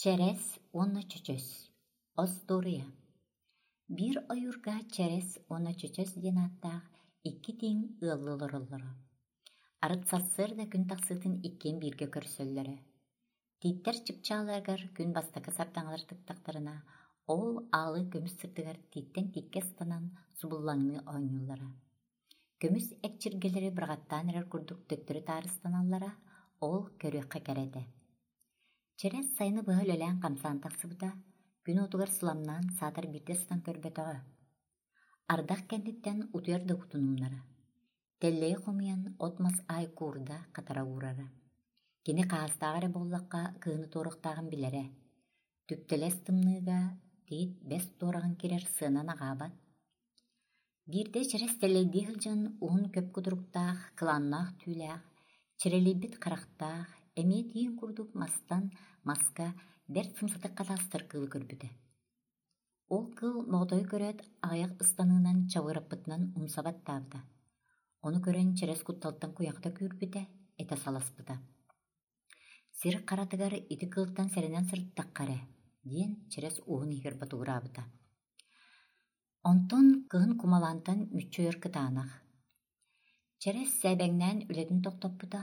Чэрэс уонна чөчөс. Остуоруйа. Биир ойуурга Чэрэс уонна Чөчөс диэн ааттаах икки тииҥ ыаллыы олороллоро. Арыт сарсыарда күн тахсыытын иккиэн бииргэ көрсөллөрө. Тииттэр чыпчаалларыгар күн бастакы сардаҥалар тыктахтарына, ол аалы көмүс сырдыгар тииттэн тииккэ ыстанан субуллаҥныы оонньууллара. Көмүс экчиргэлэри быраҕаттаан эрэр курдук төттөрү таарыстаналлара, ол көрүөххэ кэрэ этэ. Чэрэс сайыны быһа үлэлээн-хамсаан тахсыбыта, күн уотугар сыламнаан саатар биирдэ сытан көрбөтөҕө. Ардах кэнниттэн утуйар да уутун умнара. Тэллэйи хомуйан от-мас аайы куурда, хатара уурара. Кини хаастааҕа эрэ буоллахха кыһыны туоруохтааҕын билэрэ. Түптэлэс тымныыга тиит бэс туораҕын кирэр сыанан аҕаабат. Биирдэ чэрэс тэллэйдии сылдьан уһун көп кутуруктаах, кылааннаах түүлээх, чэрэлийбит харахтаах, эмиэ тииҥ курдук мастан маска бэрт сымсатык хатаастар кыылы көрбүтэ. Ол кыыл моҕотойу көрөөт аҕыйах ыстаныынан чабыраппытынан умса баттаабыта. Ону көрөн чэрэс кутталтан куйахата күүрбүтэ, этэ саласпыта. Сир харатыгар ити кыылтан сэрэнэн сырыттахха эрэ, диэн чэрэс уһун иһигэр ботугураабыта. Онтон кыһын кумалаантан мүччү ойор кытаанах. Чэрэс сээбэҥнээн үлэтин тохтоппута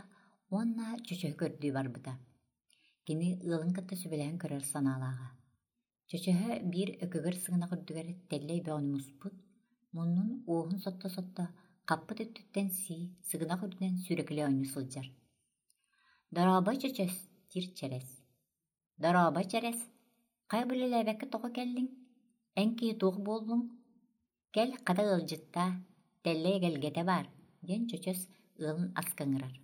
уонна чөчөһү көрдүү барбыта. Кини ыалын кытта сүбэлэһэн көрөр санаалааҕа. Чөчөһө биир өкөгөр сыгынах үрдүгэр тэллэй бөҕөнү муспут, муннун уоһун сотто-сотто хаппыт өттүттэн сии, сыгынах үрдүнэн сүүрэкэлии оонньуу сылдьар. «Дорообо, Чөчөс!» диир Чэрэс. «Дорообо, Чэрэс! Хайа үлэлээбэккэ тоҕо кэллиҥ? Эн киһи туох буоллуҥ? Кэл, хата ыалдьыттаа, тэллэй эгэлгэтэ баар» диэн Чөчөс ыалын аска ыҥырар.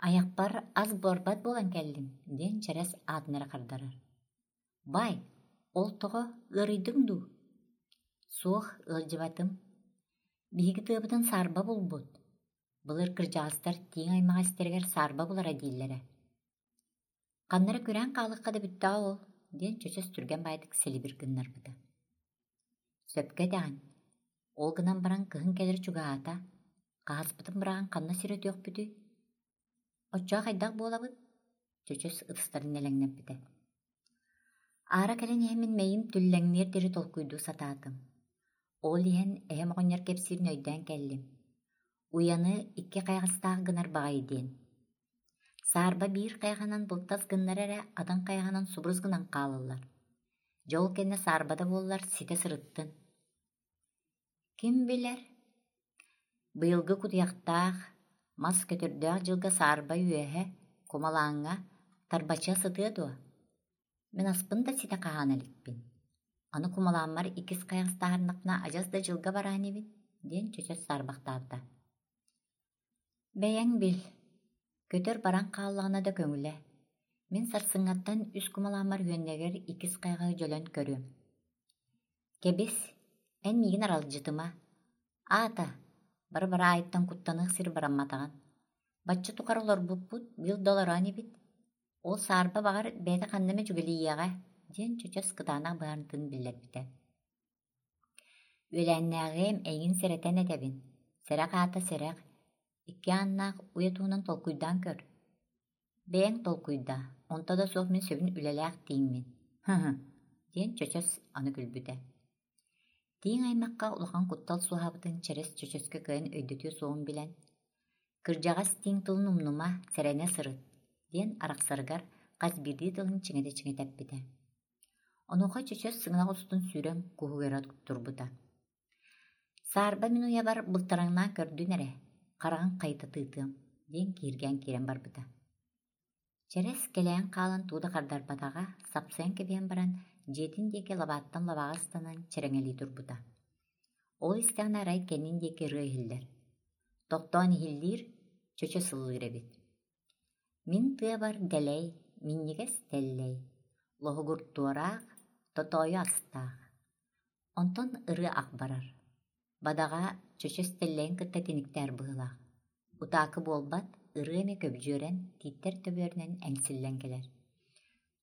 «Айахпар ас буорбат буолан кэллим» диэн Чэрэс аатын эрэ хардарар. «Бай, ол тоҕо ыарыйдыҥ дуу?» «Суох, ыалдьыбатым. Биһиги тыабытын саарба булбут. Былыр кырдьаҕастар тииҥ аймаҕа истэригэр саарба булара дииллэрэ. Ханна эрэ күрээн хаалыахха да бүттэҕэ ол, диэн чөчөс түргэн баайдык сэлибир гыннарбыта. Сөпкө этэҕин. Ол гынан баран кыһын кэлэр чугаһаата, хаһаспытын быраҕан ханна сир өтүөхпүтүй? Оччоҕо хайдах буолабыт? Чөчөс ытыстарын нэлэҥнэппитэ. Аара кэлэн иһэммин мэйим түллэҥниэр диэри толкуйдуу сатаатым. Ол иһэн эһэм оҕонньор кэпсиирин өйдөөн кэллим. Уйаны икки хайаҕастаах гынар баҕайы диэн. Саарба биир хайаҕынан былтас гыннар эрэ, атын хайаҕынан субурус гынан хаалаллар. Дьэ ол кэннэ саарбата буоллар ситэ сырыттын. Ким билэр, быйылгы кутуйахтаах, мас көтөрдөөх дьылга саарба үөһэ, кумалааҥҥа, тарбачыа сытыа дуо? Мин аспын да ситэ хаһаана иликпин. Аны кумалааммар иккис хайаҕастааһыннахпына адьас да дьылга бараа инибин, диэн чөчөс саарбахтаабыта. Бэйэҥ бил, көтөр баран хааллаҕына да көҥүлэ. Мин сарсыҥҥаттан үс кумалааммар үөннэгэр иккис хайаҕаһы дьөлөн көрүөм. Кэбис, эн миигин аралдьытыма. Аата, бары-бары аайыттан куттаныах сир барамматаҕын. Бачча тухары олорбуппут, быйыл да олороо инибит. Ол саарба баҕар бэйэтэ ханна эмэ дьүгэлийиэҕэ, диэн чөчөс кытаанах быһаарынтын биллэрбитэ. Үөлээннээҕиэм эйигин сэрэтэн этэбин, сэрэх аата сэрэх, икки ааннаах уйа туһунан толкуйдаан көр. Бэйэҥ толкуйдаа, онто да суох мин сөбүн үлэлээх тииҥмин, һы-һы, диэн чөчөс аны күлбүтэ. Тииҥ аймахха улахан куттал суоһаабытын чэрэс чөчөскө кыайан өйдөтүө суоҕун билэн, «Кырдьаҕас тииҥ тылын умнума, сэрэнэ сырыт» диэн арахсарыгар хас биирдии тылын чиҥэтэ-чиҥэтэ эппитэ. Онуоха чөчөс сыҥынах устун сүүрэн куһугара турбута. «Саарба мин уйабар былтараҥнаан көрдүн эрэ, хараҕын хайыта тыытыам» диэн киһиргээн киирэн барбыта. Чэрэс кэлэйэн хаалан тугу да хардарбатаҕа, сапсыйан кэбиһэн баран, дьиэтин диэки лабааттан лабааҕа ыстанан чэрэҥэлии турбута. Ол истэҕинэ арай кэннин диэки ырыа иһиллэр. Тохтоон иһиллиир, чөчө сыллыыр эбит. Мин тыабар дэлэй, минньигэс тэллэй, лоһугур туораах, тотоойу астаах. Онтон ырыа ах барар. Бадаҕа чөчөс тэллэйин кытта тиниктээр быһыылаах. Утаакы буолбат, ырыа эмэ көбдьүөрэн, тииттэр төбүөрүнэн эҥсиллэн кэлэр.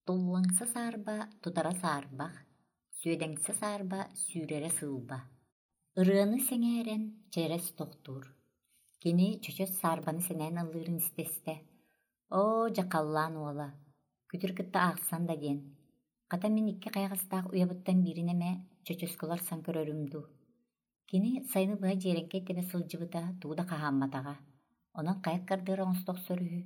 Туллаҥса саарба тутара саарбах, сүөдэҥсэ саарба сүүрэрэ сыылба. Ырыаны сэҥээрэн чэрэс тохтуур. Кини чөчөс саарбаны сэнээн ыллыырын истэ-истэ, «Оо, дьэ халлаан уола! Күтүр кытта аахсан да диэн. Хата мин икки хайаҕастаах уйабыттан биирин эмэ чөчөскө уларсан көрөрүм дуу. Кини сайыны быһа дьиэрэҥкэй тэбэ сылдьыбыта тугу да хаһаамматаҕа, онон хайа кардыыра оҥосто охсор үһү.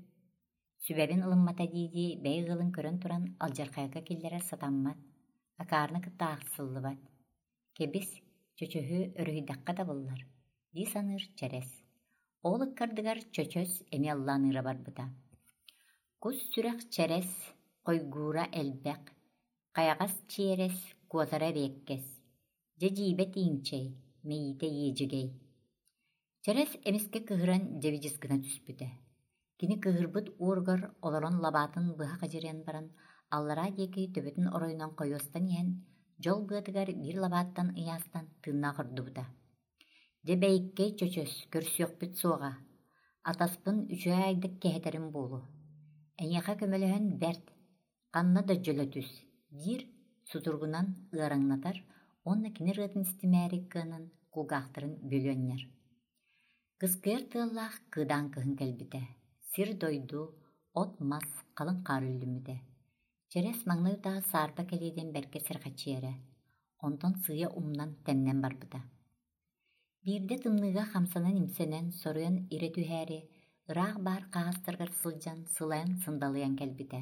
Сүбэбин ылыммата дии-дии бэйэ ыалын көрөн туран алдьархайга киллэрэр сатаммат, акаарыны кытта аахсыллыбат. Кэбис, чөчөһү өрүһүйдэххэ табыллар, дии саныыр Чэрэс. Ол ыккардыгар Чөчөс эмиэ аллаан ыыра барбыта. Кус сүрэх чэрэс, хойгуура элбэх, хайаҕас чиэрэс, куотара эриэккэс, дьэ дьиибэ тииҥчэй, мэйиитэ иэдьэгэй. Чэрэс эмискэ кыһыран дьэбидьис гына түспүтэ. Кини кыыһырбыт уоругар олорон лабаатын быһа хадьырыйан баран, аллараа диэки төбөтүн оройунан хойуостан иһэн, дьол быатыгар биир лабааттан ыйаастан тыыннаах ордубута. Дьэ бэйиккэй чөчөс, көрсүөхпүт суоҕа, атаспын үчүгэй айдык кэһэтэрим буолуо. Эйиэхэ көмөлөһөн бэрт, ханна да дьөлө түс, диир сутуругунан ыараҥнатар уонна кини ырыатын истимээри кыанан кулгаахтарын бүөлүөнньэр. Кыскыйар тыаллаах кыыдаан кыһын кэлбитэ, сир-дойду, от-мас халыҥ хаар үллүммүтэ. Чэрэс маҥнай утаа саарба кэлиитин бэркэ сэргэхсийэрэ, онтон сыыйа умнан тэннэн барбыта. Биирдэ тымныыга хамсанан-имсэнэн, соруйан ирэ түһээри, ыраах баар хаһаастарыгар сылдьан сылайан-сындалыйан кэлбитэ.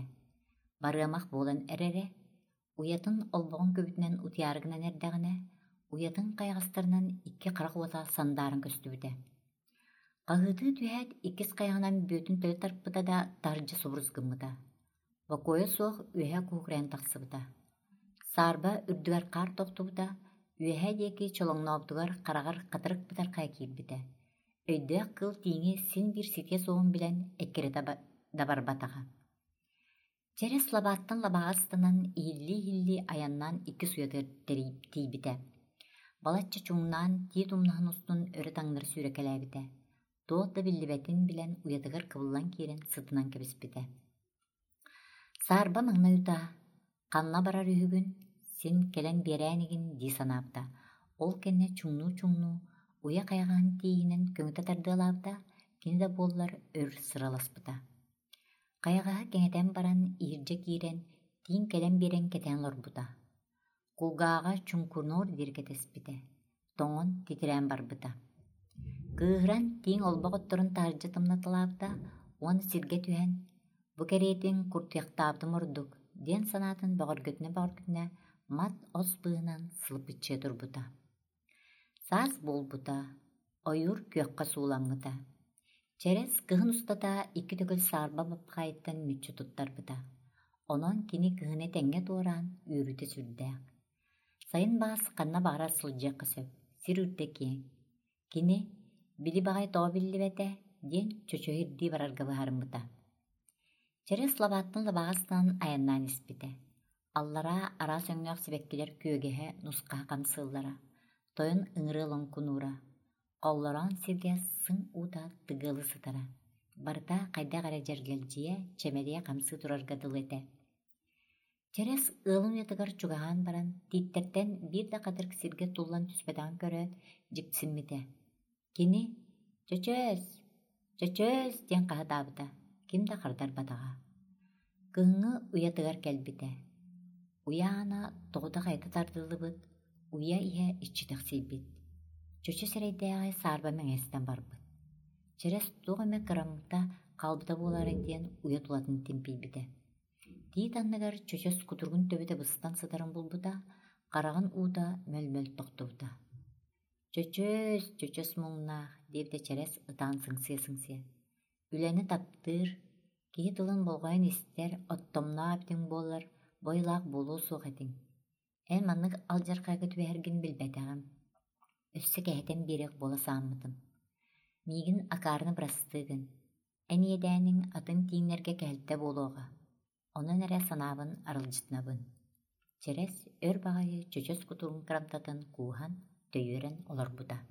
Барыамах буолан эрэрэ, уйатын олбоҕун күбүтүнэн утуйаары гынан эрдэҕинэ, уйатын хайаҕастарынан икки харах уота сандааран көстүбүтэ. Хаһыытыы түһээт, иккис хайаҕынан бүөтүн төлө тарпыта да, таһырдьа субурус гыммыта. Бокуойа суох үөһэ куһугурайан тахсыбыта. Саарба үрдүгэр хаар тохтубута, үөһэ диэки чолоҥнообутугар хараҕар хатырык бытархайа киирбитэ. Өйдөөх кыыл тииҥи син биир ситиэ суоҕун билэн эккирэтэ да барбатаҕа. Чэрэс лабааттан лабааҕа ыстанан иһиллии-иһиллии айаннаан иккис уйатыгар тиийбитэ. Балачча чуҥнаан тиит умнаһын устун өрө таҥнары сүүрэкэлээбитэ. Туох да биллибэтин билэн уйатыгар кыбыллан киирэн сытынан кэбиспитэ. Саарба маҥнай утаа «Ханна барар үһүгүн, син кэлэн биэрээн игин» дии санаабыта. Ол кэннэ чуҥнуу-чуҥнуу, уйа хайаҕаһын тииһинэн көҥүтэ тардыалаабыта, кини да буоллар өр сыраласпыта. Хайаҕаһы кэҥэтэн баран, иһирдьэ киирэн, тииҥ кэлэн биэрэн кэтээн олорбута. Кулгааҕа чуҥкунуор диэри кэтэспитэ, тоҥон титирээн барбыта. Кыыһыран тииҥ олбох отторун таһырдьа тымнаталаабыта уонна сиргэ түһэн, «Бу кэриэтин куртуйахтаабытым ордук» диэн санаатын бөҕөргөтүнэ-бөҕөргөтүнэ мат-ос быыһынан сылыпыччыйа турбута. Саас буолбута, ойуур күөххэ сууламмыта. Чэрэс кыһын устата икки төгүл саарба баппаҕайыттан мүччү туттарбыта. Онон кини кыһыны тэҥҥэ туораан үөрүүтэ сүрдээх. Сайын баҕас ханна баҕарар сылдьыахха сөп, сир үрдэ киэҥ. Кини «Били баҕайы тоҕо биллибэтэ» диэн чочуйа ирдии барарга быһаарыммыта. Чэрэс лабааттан лабааҕа ыстанан айаннаан испитэ. Аллараа араас өҥнөөх сибэккилэр күөгэһэ, нусхаһа хамсыыллара, тойон ыҥырыа лоҥкунуура, холлороон сиргэ сыҥ уута тыгыалыы сытара. Барыта хайдах эрэ дьэргэлдьийэ, чэмэлийэ хамсыы турарга дылы этэ. Чэрэс ыалын уйатыгар чугаһаан баран, тииттэртэн биир да хатырык сиргэ туллан түспэтэҕин көрөөт, дьиксиммитэ. Кини «Чөчөөс! Чөчөөс!» диэн хаһытаабыта, ким да хардарбатаҕа. Кыһыҥҥы уйатыгар кэлбитэ. Уйа аана тоҕута хайыта тардыллыбыт, уйа иһэ иччитэхсийбит. Чөчө сирэйдээҕи саарба мэҥэстэн барбыт. Чэрэс туох эмэ кыраммыта хаалбыта буолаарай диэн уйа тулатын тимпийбитэ. Тиит анныгар чөчөс кутуругун төбөтө быстан сытарын булбута, хараҕын уута мөл-мөл тохтубута. «Чөчөөс, чөчөс муҥнаах» диэбитэ Чэрэс ытаан сыҥсыйа-сыҥсыйа. «Үлэни таптыыр, киһи тылын болҕойон истэр, оттомноох эбитиҥ буоллар, бойулаах буолуо суох этиҥ. Эн маннык алдьархайга түбэһэргин билбэтэҕим, өссө кэһэтэн биэриэх буола сааммытым. Миигин акаарыны бырастыы гын, эн иэдээниҥ атын тииҥнэргэ кэһэлтэ буолуоҕа, онон эрэ санаабын аралдьытынабын». Чэрэс өр баҕайы чөчөс кутуругун кырамтатын кууһан, төйүөрэн олорбута.